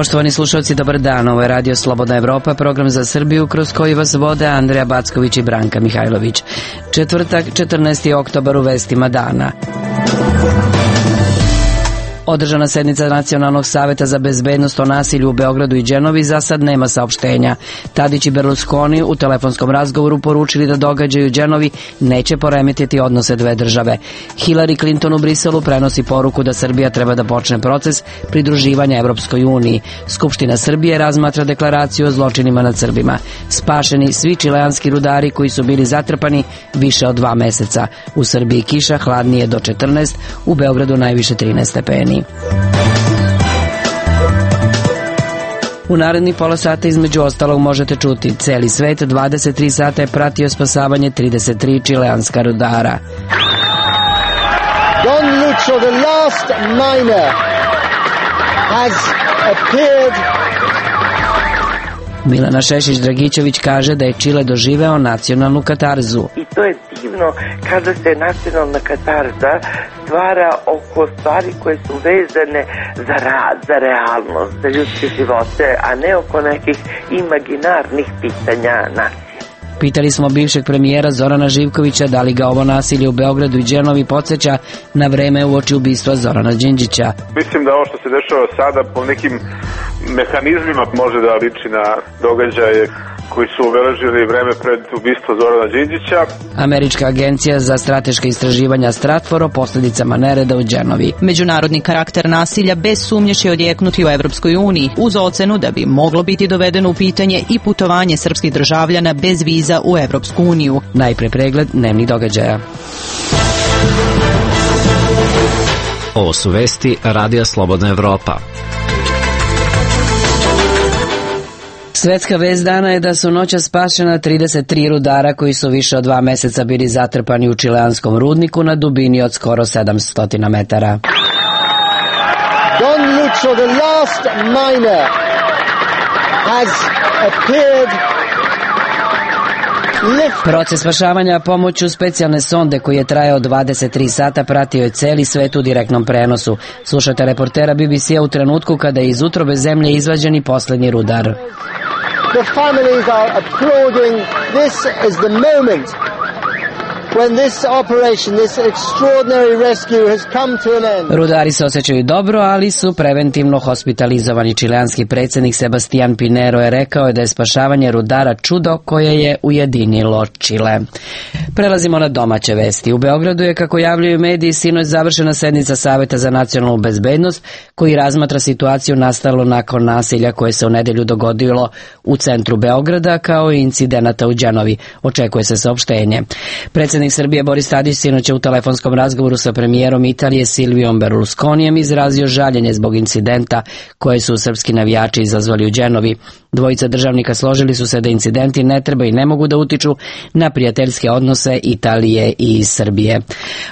Poštovani slušalci, dobar dan. Ovo je Radio Slobodna Evropa, program za Srbiju kroz koji vas vode Andreja Backović i Branka Mihajlović. Četvrtak, 14. oktobar, u vestima dana. Održana sednica Nacionalnog saveta za bezbednost o nasilju u Beogradu i Đenovi, za sad nema saopštenja. Tadić i Berlusconi u telefonskom razgovoru poručili da događaj u Đenovi neće poremetiti odnose dve države. Hillary Clinton u Briselu prenosi poruku da Srbija treba da počne proces pridruživanja Evropskoj uniji. Skupština Srbije razmatra deklaraciju o zločinima nad Srbima. Spašeni svi čileanski rudari koji su bili zatrpani više od 2 meseca. U Srbiji kiša, hladnije do 14, u Beogradu najviše 13 stepeni. U narednih pola sata između ostalog možete čuti: celi svet 23 sata je pratio spasavanje 33 čileanska rudara. Don Lucho, the last miner, has appeared. Milana Šešić-Dragićević kaže da je Čile doživeo nacionalnu katarzu. I to je divno kada se nacionalna katarza stvara oko stvari koje su vezane za rad, za realnost, za ljudske živote, a ne oko nekih imaginarnih pitanja nacije. Pitali smo bivšeg premijera Zorana Živkovića da li ga ovo nasilje u Beogradu i Đenovi podsjeća na vreme uoči ubistva Zorana Đinđića. Mislim da ovo što se dešava sada po nekim mehanizmima može da liči na događaje koji su obeležili vreme pred ubistvo Zorana Đinđića. Američka agencija za strateška istraživanja Stratfor o posljedicama nereda u Đenovi. Međunarodni karakter nasilja bez sumnje će odjeknuti u Evropskoj uniji, uz ocenu da bi moglo biti dovedeno u pitanje i putovanje srpskih državljana bez viza u Evropsku uniju. Najpre pregled dnevnih događaja. Ovo su vesti Radija Slobodna Evropa. Svetska vest dana je da su noćas spašena 33 rudara koji su više od 2 meseca bili zatrpani u čileanskom rudniku na dubini od skoro 700 metara. Don Lucho, the last miner, has appeared. Proces spašavanja pomoću specijalne sonde koji je trajao 23 sata pratio je celi svet u direktnom prenosu. Slušate reportera BBC-a u trenutku kada je iz utrobe zemlje izvađen poslednji rudar. The families are applauding. This is the moment when this operation, this extraordinary rescue has come to an end. Rudari se osjećaju dobro, ali su preventivno hospitalizovani. Čileanski predsjednik Sebastian Pinero je rekao da je spašavanje rudara čudo koje je ujedinilo Čile. Prelazimo na domaće vesti. U Beogradu je, kako javljaju mediji, sinoć završena sednica Saveta za nacionalnu bezbednost koji razmatra situaciju nastalu nakon nasilja koje se u nedelju dogodilo u centru Beograda, kao i incidenata u Đenovi. Očekuje se saopštenje. Predsjednik Srbije Boris Tadić sinoć je u telefonskom razgovoru sa premijerom Italije Silvijom Berlusconijem izrazio žaljenje zbog incidenta koje su srpski navijači izazvali u Đenovi. Dvojica državnika složili su se da incidenti ne treba i ne mogu da utiču na prijateljske odnose Italije i Srbije.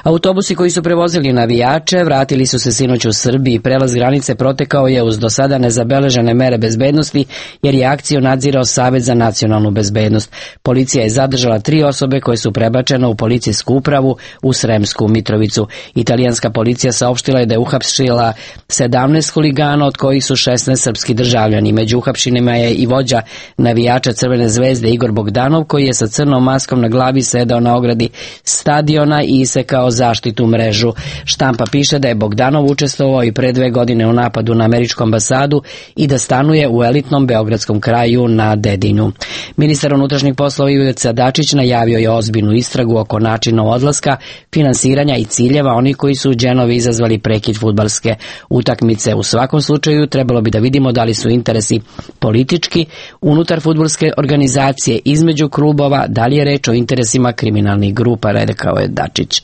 Autobusi koji su prevozili navijače vratili su se sinoć u Srbiji. Prelaz granice protekao je uz do sada nezabeležene mere bezbednosti, jer je akciju nadzirao Savet za nacionalnu bezbednost. Policija je zadržala 3 osobe koje su prebačene u policijsku upravu u Sremsku Mitrovicu. Italijanska policija saopštila je da je uhapsila 17 huligana, od kojih su 16 srpski državljani. Među uhapšenima je i vođa navijača Crvene zvezde Igor Bogdanov, koji je sa crnom maskom na glavi sedao na ogradi stadiona i isekao zaštitu mrežu. Štampa piše da je Bogdanov učestvovao i pre 2 godine u napadu na američku ambasadu i da stanuje u elitnom beogradskom kraju na Dedinju. Ministar unutrašnjih poslova Ivica Dačić najavio je ozbiljnu istragu oko načina odlaska, finansiranja i ciljeva onih koji su u Đenovi izazvali prekid fudbalske utakmice. U svakom slučaju trebalo bi da vidimo da li su interesi politički unutar fudbalske organizacije između klubova, da li je reč o interesima kriminalnih grupa, rekao je Dačić.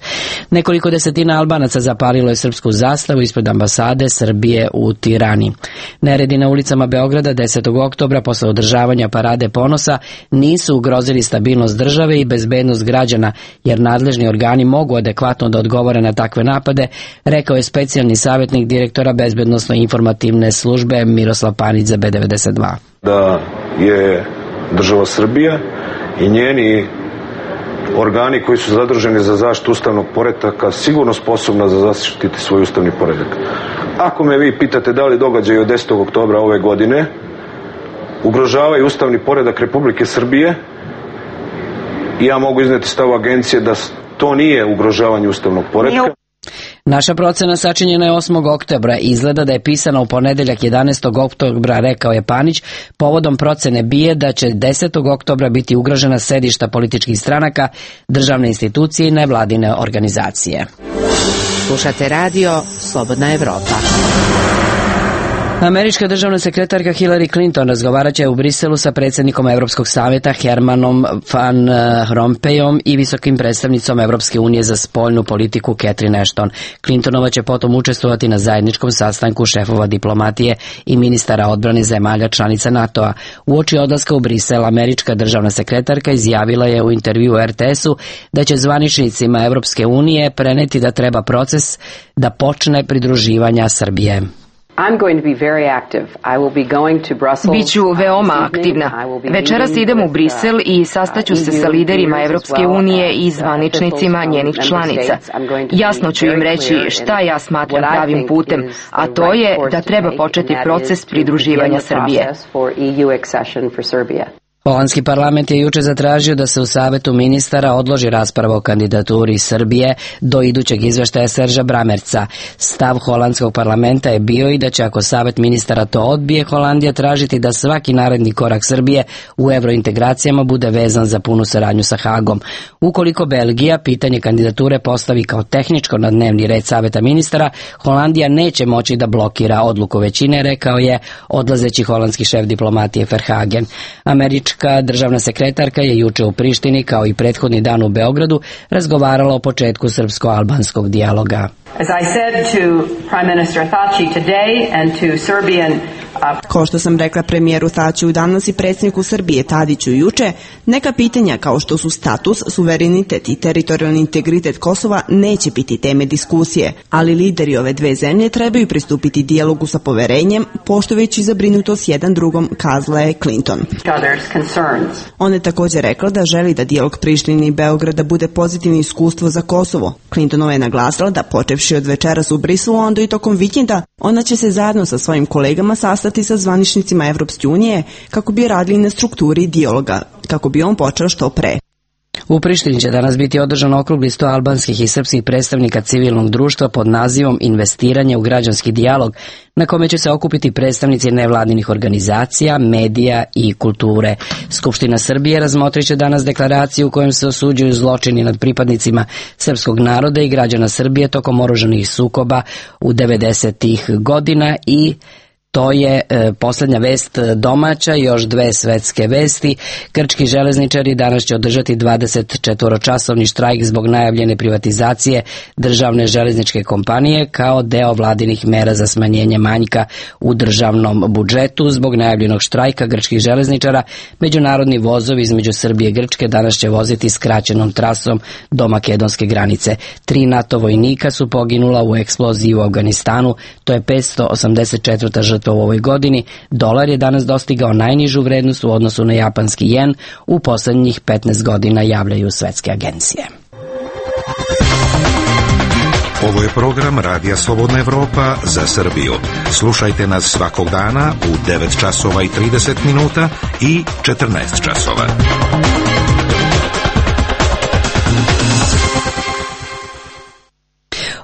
Nekoliko desetina Albanaca zapalilo je srpsku zastavu ispred ambasade Srbije u Tirani. Neredi na ulicama Beograda 10. oktobra posle održavanja parade ponosa nisu ugrozili stabilnost države i bezbednost građana, jer nadležni organi mogu adekvatno da odgovore na takve napade, rekao je specijalni savjetnik direktora bezbednosno-informativne službe Miroslav Panić za B92. Da je država Srbija i njeni organi koji su zaduženi za zaštitu ustavnog poretka sigurno sposobna za zaštititi svoj ustavni poredak. Ako me vi pitate da li događaj od 10. oktobra ove godine ugrožavaju ustavni poredak Republike Srbije, ja mogu izneti stav agencije da to nije ugrožavanje ustavnog poretka. Naša procena sačinjena je 8. oktobra. Izgleda da je pisana u ponedeljak 11. oktobra, rekao je Panić. Povodom procene BIA da će 10. oktobra biti ugrožena sedišta političkih stranaka, državne institucije i nevladine organizacije. Slušate radio Slobodna Evropa. Američka državna sekretarka Hillary Clinton razgovarat će u Briselu sa predsjednikom Europskog savjeta Hermanom Van Rompuyom i visokim predstavnicom Europske unije za spoljnu politiku Catherine Ashton. Clintonova će potom učestvovati na zajedničkom sastanku šefova diplomatije i ministara odbrane zemalja članica NATO-a. Uoči odlaska u Brisel, američka državna sekretarka izjavila je u intervju RTS-u da će zvaničnicima Europske unije preneti da treba proces da počne pridruživanja Srbije. Biću veoma aktivna. Večeras idem u Brisel i sastaću se sa liderima Evropske unije i zvaničnicima njenih članica. Jasno ću im reći šta ja smatram pravim putem, a to je da treba početi proces pridruživanja Srbije. Holandski parlament je juče zatražio da se u Savetu ministara odloži rasprava o kandidaturi Srbije do idućeg izveštaja Serža Bramerca. Stav holandskog parlamenta je bio i da će, ako Savet ministara to odbije, Holandija tražiti da svaki naredni korak Srbije u evrointegracijama bude vezan za punu saradnju sa Hagom. Ukoliko Belgija pitanje kandidature postavi kao tehničko na dnevni red Saveta ministara, Holandija neće moći da blokira odluku većine, rekao je odlazeći holandski šef diplomatije Verhagen. Američka državna sekretarka je juče u Prištini, kao i prethodni dan u Beogradu, razgovarala o početku srpsko-albanskog dijaloga. Kao što sam rekla premijeru Thaću danas i predsjedniku Srbije Tadiću juče, neka pitanja kao što su status, suverenitet i teritorijalni integritet Kosova neće biti teme diskusije, ali lideri ove dve zemlje trebaju pristupiti dijalogu sa poverenjem, poštujući zabrinutost jedan drugom, kazala je Clinton. On je također rekla da želi da dijalog Prištine i Beograda bude pozitivno iskustvo za Kosovo. Clintonova je naglasila da počevši od večeras u Briselu, onda i tokom vikenda, ona će se zajedno sa svojim kolegama sastati sa zvaničnicima Evropske unije kako bi radili na strukturi dijaloga, kako bi on počeo što pre. U Prištini će danas biti održan okrugli sto albanskih i srpskih predstavnika civilnog društva pod nazivom Investiranje u građanski dijalog, na kome će se okupiti predstavnici nevladinih organizacija, medija i kulture. Skupština Srbije razmotrit će danas deklaraciju u kojem se osuđuju zločini nad pripadnicima srpskog naroda i građana Srbije tokom oružanih sukoba u 90-ih godina i to je posljednja vest domaća, još dve svetske vesti. Grčki železničari danas će održati 24-časovni štrajk zbog najavljene privatizacije državne železničke kompanije kao deo vladinih mera za smanjenje manjka u državnom budžetu. Zbog najavljenog štrajka grčkih železničara, međunarodni vozovi između Srbije i Grčke danas će voziti skraćenom trasom do makedonske granice. 3 NATO vojnika su poginula u eksploziji u Afganistanu, to je 584. žrtva u ovoj godini. Dolar je danas dostigao najnižu vrednost u odnosu na japanski jen u posljednjih 15 godina, javljaju svetske agencije. Ovo je program Radija Slobodna Evropa za Srbiju. Slušajte nas svakog dana u 9 časova i 30 minuta i 14 časova.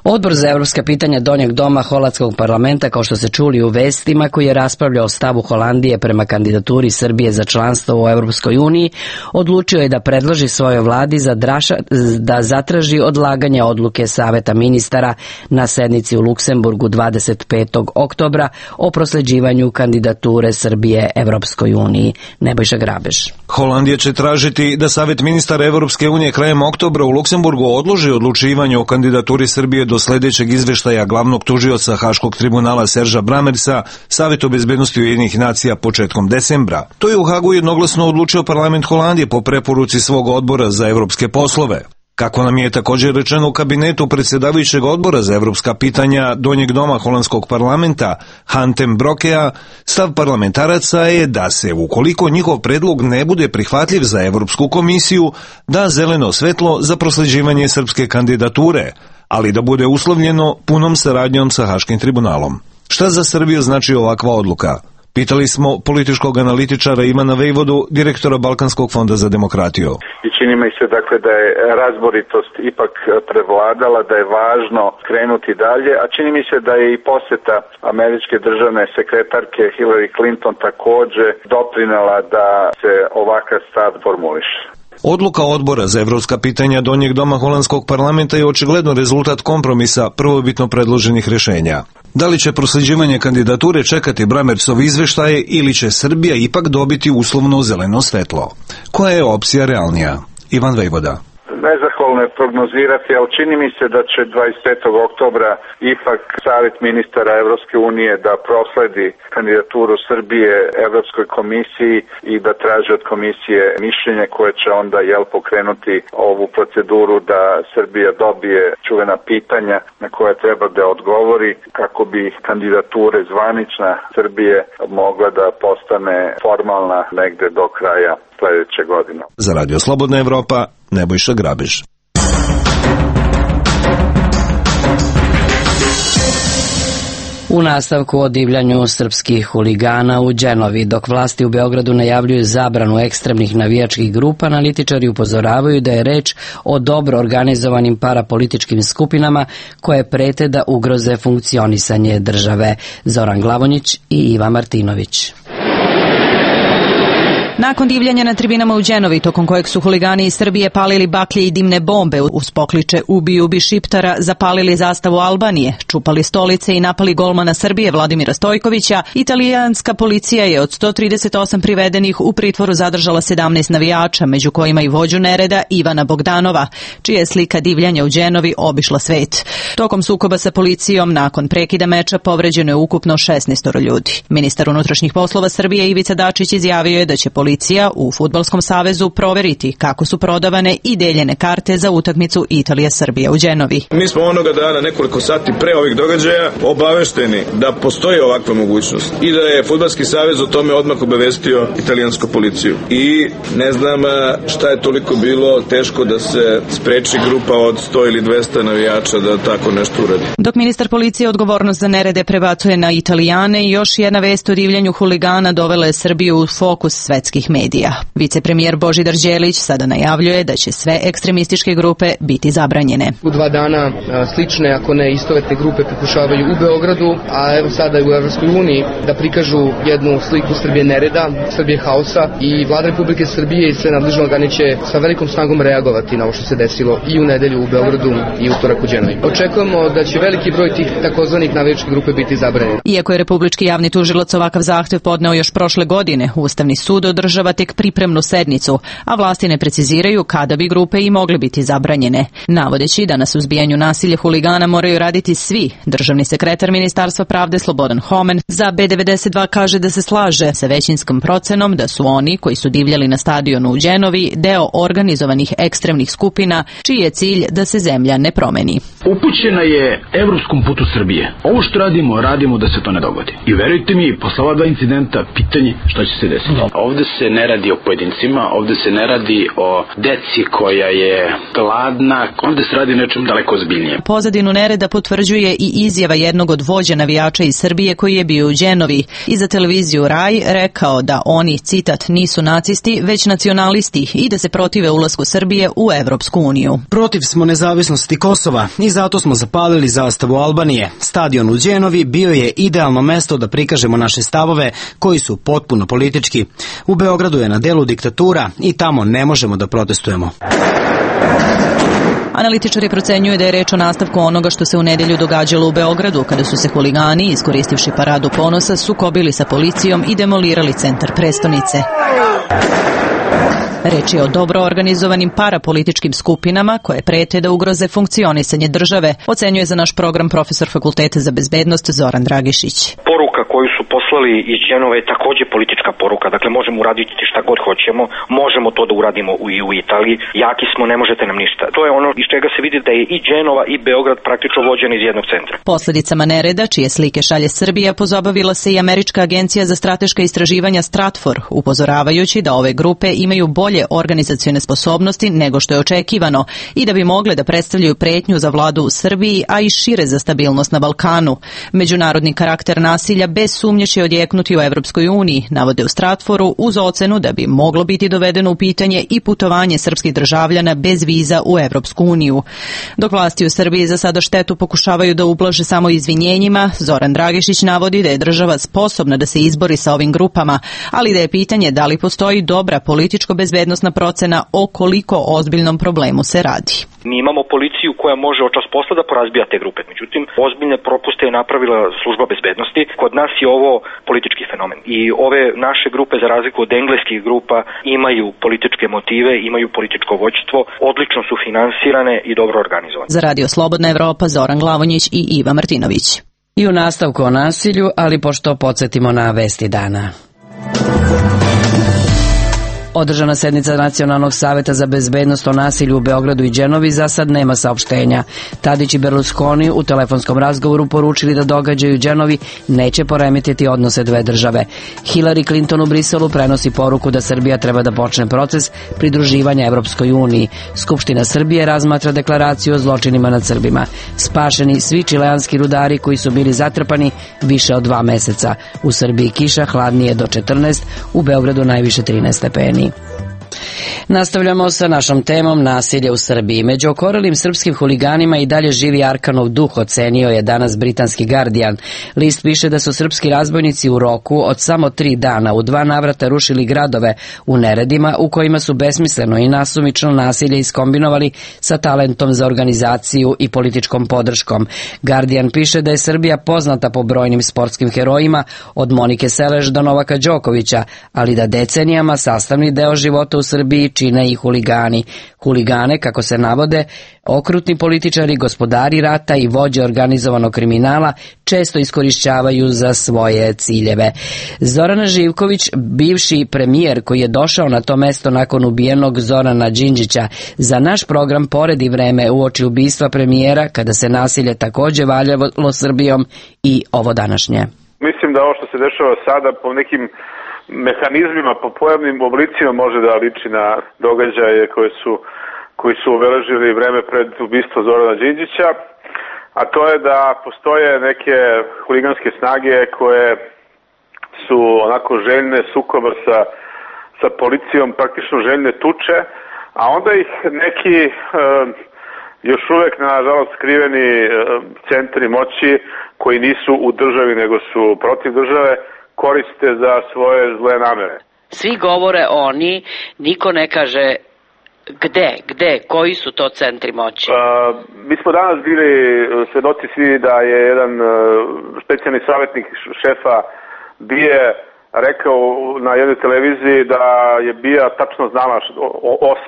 Odbor za evropska pitanja Donjeg doma holandskog parlamenta, kao što se čuli u vestima, koji je raspravljao o stavu Holandije prema kandidaturi Srbije za članstvo u Europskoj uniji, odlučio je da predloži svojoj vladi da zatraži odlaganje odluke Saveta ministara na sednici u Luksemburgu 25. oktobra o prosleđivanju kandidature Srbije Europskoj uniji. Nebojša Grabež. Holandija će tražiti da Savet ministara Evropske unije krajem oktobra u Luksemburgu odloži odlučivanje o kandidaturi Srbije do sljedećeg izveštaja glavnog tužioca Haškog tribunala Serža Bramersa, Savetu bezbednosti Ujedinjenih nacija početkom decembra. To je u Hagu jednoglasno odlučio parlament Holandije po preporuci svog odbora za evropske poslove. Kako nam je također rečeno u kabinetu predsjedavajućeg odbora za evropska pitanja Donjeg doma holandskog parlamenta Hantem Brokea, stav parlamentaraca je da se, ukoliko njihov predlog ne bude prihvatljiv za Evropsku komisiju, da zeleno svetlo za prosleđivanje srpske kandidature, ali da bude uslovljeno punom saradnjom sa Haškim tribunalom. Šta za Srbiju znači ovakva odluka? Pitali smo političkog analitičara Ivana Vejvodu, direktora Balkanskog fonda za demokratiju. I čini mi se dakle da je razboritost ipak prevladala, da je važno krenuti dalje, a čini mi se da je i poseta američke državne sekretarke Hillary Clinton također doprinela da se ovakav stav formuliše. Odluka odbora za evropska pitanja Donjeg doma holandskog parlamenta je očigledno rezultat kompromisa prvobitno predloženih rješenja. Da li će prosleđivanje kandidature čekati Bramertsov izveštaje ili će Srbija ipak dobiti uslovno zeleno svetlo? Koja je opcija realnija? Ivan Vejvoda. Nezahvalno je prognozirati, ali čini mi se da će 25. oktobra ipak Savjet ministara Evropske unije da prosledi kandidaturu Srbije Evropskoj komisiji i da traži od komisije mišljenje koje će onda pokrenuti ovu proceduru da Srbija dobije čuvena pitanja na koje treba da odgovori kako bi kandidature zvanična Srbije mogla da postane formalna negde do kraja sljedeće godine. Za Radio Slobodna Evropa, Nebojša Grabež. U nastavku o divljanju srpskih huligana u Đenovi, dok vlasti u Beogradu najavljuju zabranu ekstremnih navijačkih grupa, analitičari upozoravaju da je reč o dobro organizovanim parapolitičkim skupinama koje prete da ugroze funkcionisanje države. Zoran Glavonjić i Iva Martinović. Nakon divljanja na tribinama u Đenovi, tokom kojeg su huligani iz Srbije palili baklje i dimne bombe uz pokliče "Ubi, ubi Šiptara", zapalili zastavu Albanije, čupali stolice i napali golmana Srbije Vladimira Stojkovića, italijanska policija je od 138 privedenih u pritvoru zadržala 17 navijača, među kojima i vođu nereda Ivana Bogdanova, čija je slika divljanja u Đenovi obišla svet. Tokom sukoba sa policijom, nakon prekida meča, povređeno je ukupno 16 ljudi. Ministar unutrašnjih poslova Srbije Ivica Dačić izjavio je da će policija u Fudbalskom savezu proveriti kako su prodavane i deljene karte za utakmicu Italija-Srbija u Đenovi. Mi smo onoga dana, nekoliko sati pre ovih događaja, obavešteni da postoji ovakva mogućnost i da je Fudbalski savez o tome odmah obavestio italijansku policiju. I ne znam šta je toliko bilo teško da se spreči grupa od 100 ili 200 navijača da tako nešto uradi. Dok ministar policije odgovornost za nerede prebacuje na Italijane, još jedna vest o divljanju huligana dovela je Srbiju u fokus svetskih medija. Vicepremijer Božidar Đelić sada najavljuje da će sve ekstremističke grupe biti zabranjene. U 2 dana slične, ako ne istovetne grupe pokušavaju u Beogradu, a evo sada i u Evropskoj uniji da prikažu jednu sliku Srbije nereda, Srbije haosa, i Vlada Republike Srbije i sve nadležne organe će sa velikom snagom reagovati na ovo što se desilo i u nedelju u Beogradu i utorak u Đenovi. Očekujemo da će veliki broj tih takozvanih navijačkih grupe biti zabranjeni. Iako je Republički javni tužilac ovakav zahtev podneo još prošle godine, Ustavni sud održava tek pripremnu sednicu, a vlasti ne preciziraju kada bi grupe i mogle biti zabranjene. Navodeći da na suzbijanju nasilja huligana moraju raditi svi, državni sekretar Ministarstva pravde Slobodan Homen za B92 kaže da se slaže sa većinskom procenom da su oni koji su divljali na stadionu u Đenovi deo organizovanih ekstremnih skupina, čiji je cilj da se zemlja ne promeni. Upućena je evropskom putu Srbije. Ovo što radimo da se to ne dogodi. I verujte mi, posle ova 2 incidenta, pitanje šta će se desiti. Ovde se ne radi o pojedincima, ovde se ne radi o deci koja je gladna, ovde se radi nečem daleko ozbiljnije. Pozadinu nereda potvrđuje i izjava jednog od vođa navijača iz Srbije koji je bio u Đenovi i za televiziju Raj rekao da oni, citat, nisu nacisti, već nacionalisti i da se protive ulasku Srbije u Evropsku uniju. Protiv smo nezavisnosti Kosova i zato smo zapalili zastavu Albanije. Stadion u Đenovi bio je idealno mesto da prikažemo naše stavove koji su potpuno politički. U Beogradu je na delu diktatura i tamo ne možemo da protestujemo. Analitičari procenjuju da je reč o nastavku onoga što se u nedelju događalo u Beogradu, kada su se huligani, iskoristivši paradu ponosa, sukobili sa policijom i demolirali centar prestonice. Reč je o dobro organizovanim parapolitičkim skupinama koje prete da ugroze funkcionisanje države, ocenjuje za naš program profesor Fakulteta za bezbednost Zoran Dragišić. Poruka koju su poslali iz Dženove je takođe politička poruka, dakle možemo uraditi šta god hoćemo, možemo to da uradimo i u Italiji, jaki smo, ne možete nam ništa. To je ono iz čega se vidi da je i Dženova i Beograd praktično vođeni iz jednog centra. Posledicama nereda, čije slike šalje Srbija, pozabavila se i Američka agencija za strateška istraživanja Stratfor, upozoravajući da ove grupe imaju bolje organizacione sposobnosti nego što je očekivano i da bi mogle da predstavljaju pretnju za vladu u Srbiji, a i šire za stabilnost na Balkanu. Međunarodni karakter nasilja bez sumnje će odjeknuti u Evropskoj uniji, navode u Stratforu, uz ocenu da bi moglo biti dovedeno u pitanje i putovanje srpskih državljana bez viza u Evropsku uniju. Dok vlasti u Srbiji za sada štetu pokušavaju da ublaže samo izvinjenjima, Zoran Dragišić navodi da je država sposobna da se izbori sa ovim grupama, ali da je pitanje da li postoji dobra političko-bezbednosna procena o koliko ozbiljnom problemu se radi. Mi imamo policiju koja može od čas posla da porazbija te grupe, međutim, ozbiljne propuste je napravila služba bezbednosti. Kod nas je ovo politički fenomen i ove naše grupe, za razliku od engleskih grupa, imaju političke motive, imaju političko vođstvo, odlično su finansirane i dobro organizovane. Za Radio Slobodna Evropa, Zoran Glavonjić i Iva Martinović. I u nastavku o nasilju, ali pošto podsjetimo na vesti dana. Održana sednica Nacionalnog saveta za bezbednost o nasilju u Beogradu i Dženovi za sad nema saopštenja. Tadić i Berlusconi u telefonskom razgovoru poručili da događaj u Dženovi neće poremetiti odnose dve države. Hillary Clinton u Briselu prenosi poruku da Srbija treba da počne proces pridruživanja Evropskoj uniji. Skupština Srbije razmatra deklaraciju o zločinima nad Srbima. Spašeni svi čileanski rudari koji su bili zatrpani više od 2 meseca. U Srbiji kiša, hladnije do 14, u Beogradu najviše 13 stepeni. Nastavljamo sa našom temom nasilje u Srbiji. Među okorelim srpskim huliganima i dalje živi Arkanov duh, ocenio je danas britanski Guardian. List piše da su srpski razbojnici u roku od samo 3 dana u 2 navrata rušili gradove u neredima u kojima su besmisleno i nasumično nasilje iskombinovali sa talentom za organizaciju i političkom podrškom. Guardian piše da je Srbija poznata po brojnim sportskim herojima od Monike Seleš do Novaka Đokovića, ali da decenijama sastavni deo života u Srbiji čine i huligani. Huligane, kako se navode, okrutni političari, gospodari rata i vođe organizovanog kriminala često iskorišćavaju za svoje ciljeve. Zoran Živković, bivši premijer koji je došao na to mesto nakon ubijenog Zorana Đinđića, za naš program poredi vreme uoči ubistva premijera kada se nasilje takođe valjalo Srbijom i ovo današnje. Mislim da ovo što se dešava sada po nekim mehanizmima, po pojavnim oblicima može da liči na događaje koji su obeležili vreme pred ubistvo Zorana Đinđića, a to je da postoje neke huliganske snage koje su onako željne sukoba sa policijom, praktično željne tuče, a onda ih neki još uvek nažalost skriveni centri moći koji nisu u državi nego su protiv države koriste za svoje zle namere. Svi govore oni, niko ne kaže gde, koji su to centri moći? Mi smo danas bili svedoci svi da je jedan specijalni savjetnik šefa BIA rekao na jednoj televiziji da je BIA tačno znala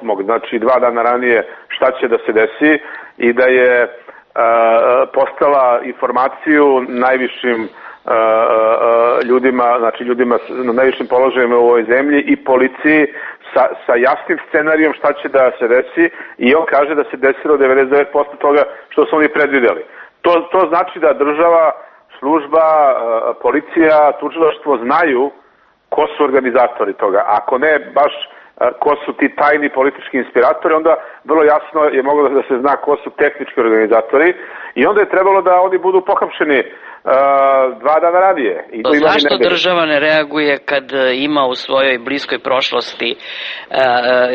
8. znači 2 dana ranije šta će da se desi i da je postala informaciju najvišim ljudima, znači ljudima na najvišim položajima u ovoj zemlji i policiji sa jasnim scenarijom šta će da se desi i on kaže da se desilo 99% toga što su oni predvideli. To znači da država, služba, policija, tužilaštvo znaju ko su organizatori toga. Ako ne baš ko su ti tajni politički inspiratori, onda vrlo jasno je moglo da se zna ko su tehnički organizatori i onda je trebalo da oni budu pohapšeni 2 dana ranije. Zašto država ne reaguje kad ima u svojoj bliskoj prošlosti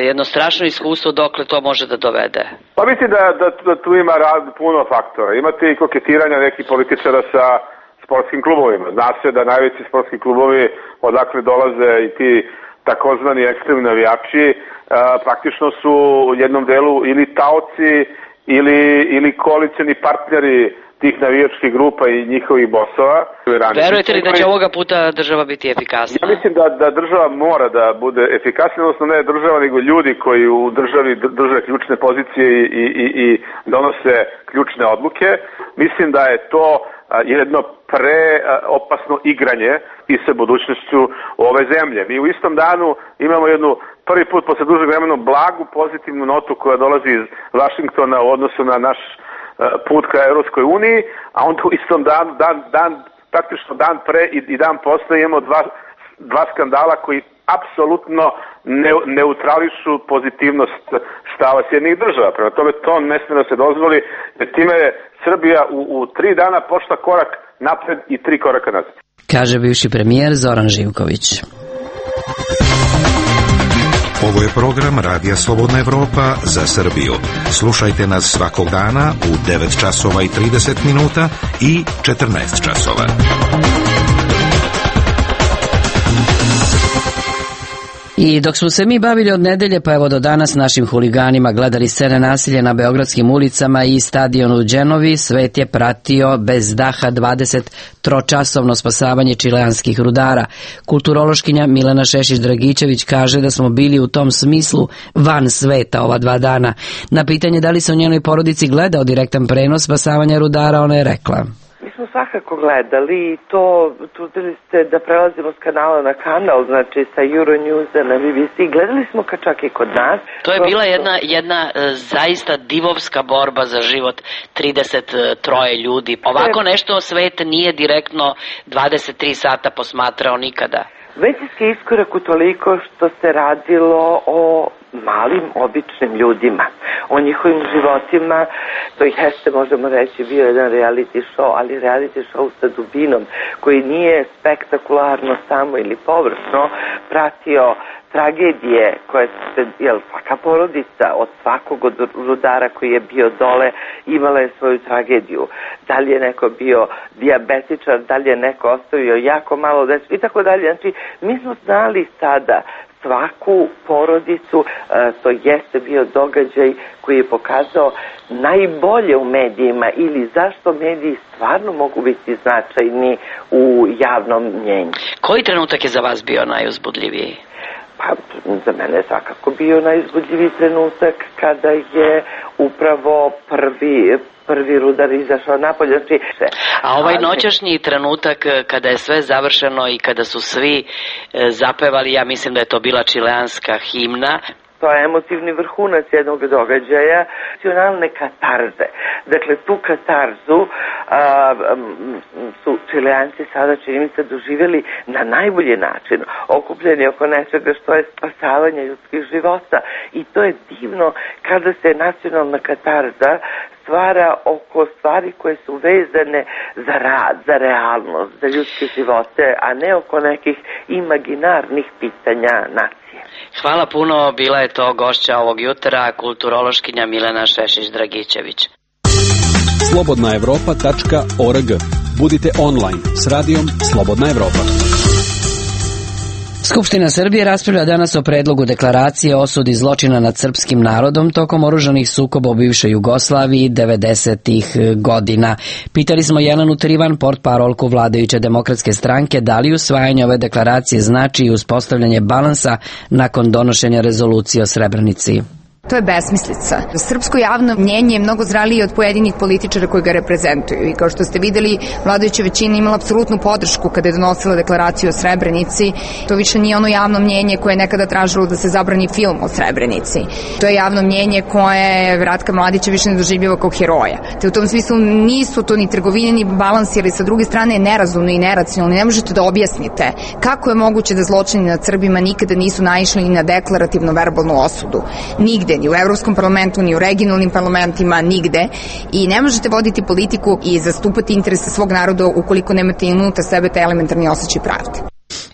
jedno strašno iskustvo dokle to može da dovede? Pa mislim da tu ima puno faktora. Imate i koketiranja nekih političara sa sportskim klubovima. Zna se da najveći sportski klubovi odakle dolaze i ti takozvani ekstremni navijači praktično su u jednom delu ili taoci ili koalicioni partneri tih navijačkih grupa i njihovih bosova. Verujete li da će ovoga puta država biti efikasna? Ja mislim da država mora da bude efikasna, odnosno ne država, nego ljudi koji u državi drže ključne pozicije i donose ključne odluke. Mislim da je to jedno preopasno igranje i sa budućnošću ove zemlje. Mi u istom danu imamo jednu prvi put posle dužeg vremena blagu pozitivnu notu koja dolazi iz Vašingtona u odnosu na naš put ka Evropskoj uniji, a onda u istom praktično dan pre i dan posle imamo dva skandala koji apsolutno neutrališu pozitivnost stava Sjedinjenih država. Prema tome to ne sme da se dozvoli, jer time je Srbija u 3 dana pošla korak napred i 3 koraka nazad. Kaže bivši premijer Zoran Živković. Ovo je program Radija Slobodna Evropa za Srbiju. Slušajte nas svakog dana u 9 časova i 30 minuta i 14 časova. I dok smo se mi bavili od nedelje, pa evo do danas našim huliganima gledali scene nasilja na beogradskim ulicama i stadionu u Đenovi, svet je pratio bez daha 23-časovno spasavanje čileanskih rudara. Kulturološkinja Milena Šešić-Dragičević kaže da smo bili u tom smislu van sveta ova 2 dana. Na pitanje da li se u njenoj porodici gledao direktan prenos spasavanja rudara, ona je rekla: Mi smo svakako gledali i to trudili ste da prelazimo s kanala na kanal, znači sa Euronewsa na BBC. Gledali smo čak i kod nas. To je bila jedna zaista divovska borba za život 33 ljudi. Ovako nešto svet nije direktno 23 sata posmatrao nikada. Većinski iskorak u toliko što se radilo o malim, običnim ljudima, o njihovim životima. To i jeste, možemo reći, bio jedan reality show, ali reality show sa dubinom, koji nije spektakularno samo ili površno pratio tragedije koje se, svaka porodica od svakog od rudara koji je bio dole imala je svoju tragediju. Da li je neko bio dijabetičar, da li je neko ostavio jako malo dece i tako dalje. Znači, mi smo znali sada svaku porodicu, to jeste bio događaj koji je pokazao najbolje u medijima ili zašto mediji stvarno mogu biti značajni u javnom mnjenju. Koji trenutak je za vas bio najuzbudljiviji? Pa, za mene je svakako bio najuzbudljiviji trenutak kada je upravo prvi rudar izašao napolje. A ovaj noćašnji trenutak kada je sve završeno i kada su svi zapevali, ja mislim da je to bila čileanska himna. To je emotivni vrhunac jednog događaja, nacionalne katarze. Dakle, tu katarzu su Čileanci sada, čini mi se, doživjeli na najbolji način, okupljeni oko nečega što je spasavanje ljudskih života. I to je divno kada se nacionalna katarza stvara oko stvari koje su vezane za rad, za realnost, za ljudske živote, a ne oko nekih imaginarnih pitanja nacije. Hvala puno, bila je to gošća ovog jutra, kulturološkinja Milena Šešić-Dragičević. slobodnaevropa.org. Budite online s radijom Slobodna Evropa. Skupština Srbije raspravlja danas o predlogu deklaracije o osudi zločina nad srpskim narodom tokom oružanih sukoba u bivšoj Jugoslaviji 90-ih godina. Pitali smo Jelenu Trivan, portparolku vladajuće demokratske stranke, da li usvajanje ove deklaracije znači i uspostavljanje balansa nakon donošenja rezolucije o Srebrenici. To je besmislica. Srpsko javno mnjenje je mnogo zralije od pojedinih političara koji ga reprezentuju i kao što ste videli, vladajuća većina imala apsolutnu podršku kada je donosila deklaraciju o Srebrenici. To više nije ono javno mnjenje koje je nekada tražilo da se zabrani film o Srebrenici. To je javno mnjenje koje Ratka Mladića više ne doživljava kao heroja. Te u tom smislu nisu to ni trgovine ni balansi, ali sa druge strane je nerazumno i neracionalno. Ne možete da objasnite kako je moguće da zločini nad Srbima nikada nisu naišli ni na deklarativno verbalnu osudu. Nigde, ni u Evropskom parlamentu, ni u regionalnim parlamentima, nigde. I ne možete voditi politiku i zastupati interese svog naroda ukoliko nemate unutar sebe taj elementarni osjećaj pravde.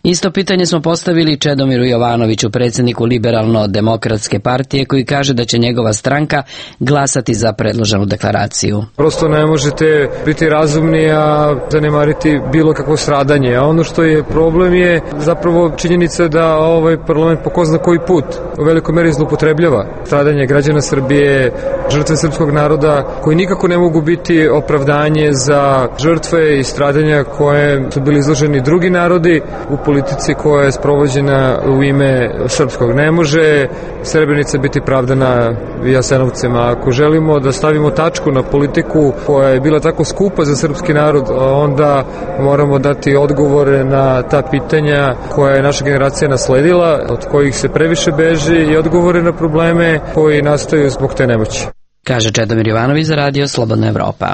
Isto pitanje smo postavili Čedomiru Jovanoviću, predsjedniku Liberalno-demokratske partije, koji kaže da će njegova stranka glasati za predloženu deklaraciju. Prosto ne možete biti razumni, a zanemariti bilo kakvo stradanje. A ono što je problem je zapravo činjenica da ovaj parlament po ko zna koji put u velikoj meri zloupotrebljava stradanje građana Srbije, žrtve srpskog naroda, koji nikako ne mogu biti opravdanje za žrtve i stradanja koje su bili izloženi drugi narodi u politici koja je sprovođena u ime srpskog. Ne može Srebrenica biti pravdana Jasenovcema. Ako želimo da stavimo tačku na politiku koja je bila tako skupa za srpski narod, onda moramo dati odgovore na ta pitanja koja je naša generacija nasledila, od kojih se previše beži, i odgovore na probleme koji nastaju zbog te nemoći. Kaže Čedomir Jovanović za Radio Slobodna Evropa.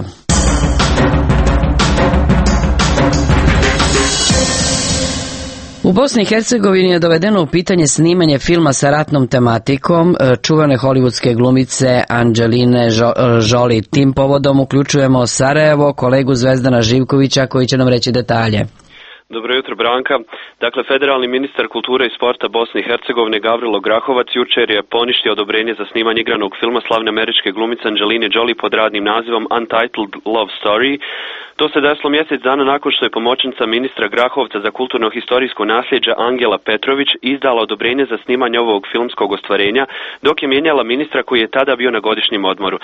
U Bosni i Hercegovini je dovedeno u pitanje snimanje filma sa ratnom tematikom čuvane hollywoodske glumice Angeline Jolie. Tim povodom uključujemo Sarajevo, kolegu Zvezdana Živkovića koji će nam reći detalje. Dobro jutro, Branka. Dakle, federalni ministar kulture i sporta Bosne i Hercegovine Gavrilo Grahovac jučer je poništio odobrenje za snimanje igranog filma slavne američke glumice Angeline Jolie pod radnim nazivom Untitled Love Story. To se desilo mjesec dana nakon što je pomoćnica ministra Grahovca za kulturno-historijsko nasljeđe Angela Petrović izdala odobrenje za snimanje ovog filmskog ostvarenja, dok je mijenjala ministra koji je tada bio na godišnjem odmoru.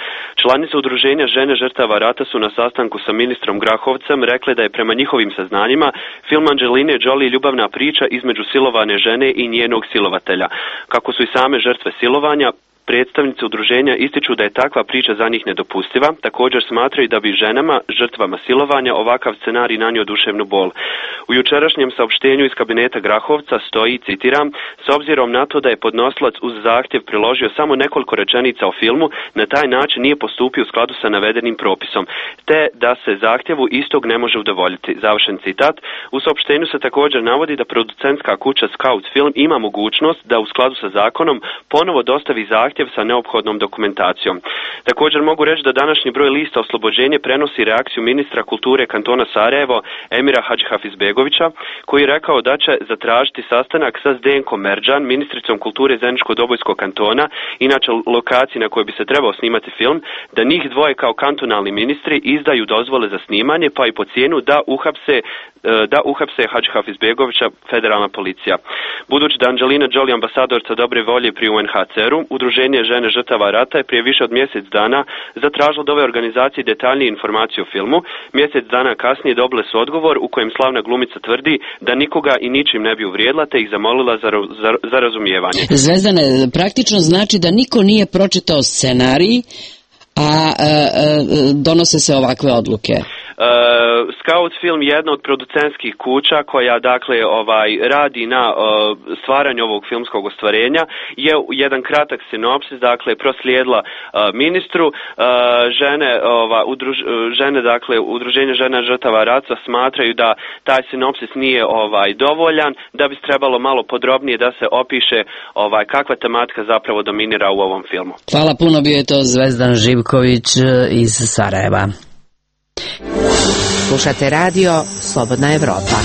Članice udruženja Žene žrtava rata su na sastanku sa ministrom Grahovcem rekle da je prema njihovim saznanjima film Angeline Jolie ljubavna priča između silovane žene i njenog silovatelja. Kako su i same žrtve silovanja, predstavnici udruženja ističu da je takva priča za njih nedopustiva, također smatraju da bi ženama, žrtvama silovanja, ovakav scenarij nanio duševnu bol. U jučerašnjem saopštenju iz kabineta Grahovca stoji, citiram, s obzirom na to da je podnosilac uz zahtjev priložio samo nekoliko rečenica o filmu, na taj način nije postupio u skladu sa navedenim propisom, te da se zahtjevu istog ne može udovoljiti. Završen citat. U saopštenju se također navodi da producentska kuća Scout Film ima mogućnost da u skladu sa zakonom ponovo dostavi zahtjev sa neophodnom dokumentacijom. Također mogu reći da današnji broj lista Oslobođenje prenosi reakciju ministra kulture kantona Sarajevo Emira Hadžihafizbegovića, koji je rekao da će zatražiti sastanak sa Zdenkom Merdžan, ministricom kulture Zeničko-Dobojskog kantona, inače lokaciji na kojoj bi se trebao snimati film, da njih dvoje kao kantonalni ministri izdaju dozvole za snimanje, pa i po cijenu da uhapse Hadžihafizbegovića federalna policija. Budući da Angelina Jolie ambasadorca dobre volje pri UNHCR-u, Udruženje Žene žrtava rata je prije više od mjesec dana zatražilo od ove organizacije detaljnije informacije o filmu. Mjesec dana kasnije dobile su odgovor u kojem slavna glumica tvrdi da nikoga i ničim ne bi uvrijedila, te ih zamolila za razumijevanje. Zvezdane, praktično znači da niko nije pročitao scenarij, a donose se ovakve odluke. Scout Film je jedna od producentskih kuća koja radi na stvaranju ovog filmskog ostvarenja, je jedan kratak sinopsis proslijedila ministru. Udruženje žena žrtava rata smatraju da taj sinopsis nije dovoljan, da bi trebalo malo podrobnije da se opiše kakva tematika zapravo dominira u ovom filmu. Hvala puno, bio je to Zvezdan Živković iz Sarajeva. Slušate radio Slobodna Evropa.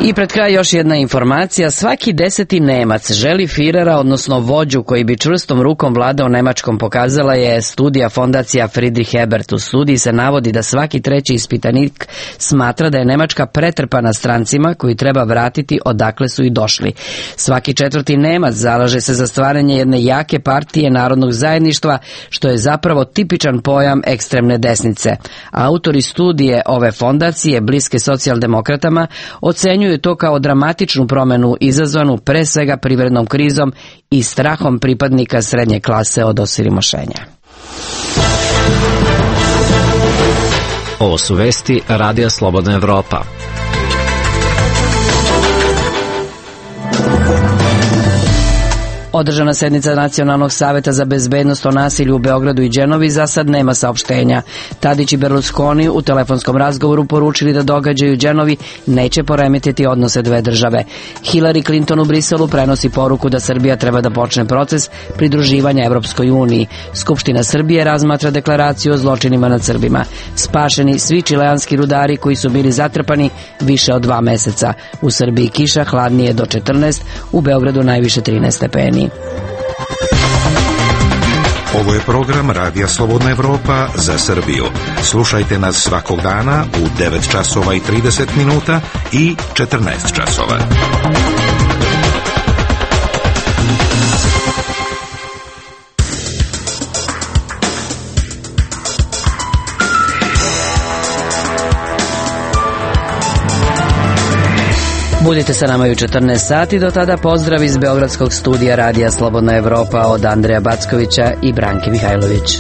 I pred kraj još jedna informacija. Svaki 10. Nemac želi Firera, odnosno vođu koji bi čvrstom rukom vladao Nemačkom, pokazala je studija fondacija Friedrich Ebert. U studiji se navodi da svaki treći ispitanik smatra da je Nemačka pretrpana strancima koji treba vratiti odakle su i došli. Svaki 4. Nemac zalaže se za stvaranje jedne jake partije narodnog zajedništva, što je zapravo tipičan pojam ekstremne desnice. Autori studije ove fondacije, bliske socijaldemokratama, ocenjuju to kao dramatičnu promjenu izazvanu pre svega privrednom krizom i strahom pripadnika srednje klase od osiromašenja. Ovo su vesti Radija Slobodna Evropa. Održana sednica Nacionalnog saveta za bezbednost o nasilju u Beogradu i Đenovi za sad nema saopštenja. Tadić i Berlusconi u telefonskom razgovoru poručili da događaj u Đenovi neće poremetiti odnose dve države. Hillary Clinton u Briselu prenosi poruku da Srbija treba da počne proces pridruživanja Evropskoj uniji. Skupština Srbije razmatra deklaraciju o zločinima nad Srbima. Spašeni svi čileanski rudari koji su bili zatrpani više od 2 meseca. U Srbiji kiša, hladnije do 14, u Beogradu najviše 13 stepeni. Ovo je program Radija Slobodna Evropa za Srbiju. Slušajte nas svakog dana u 9 časova i 30 minuta i 14 časova. Budite sa nama i u 14 sati, do tada pozdrav iz Beogradskog studija Radija Slobodna Evropa od Andreja Backovića i Branke Mihajlović.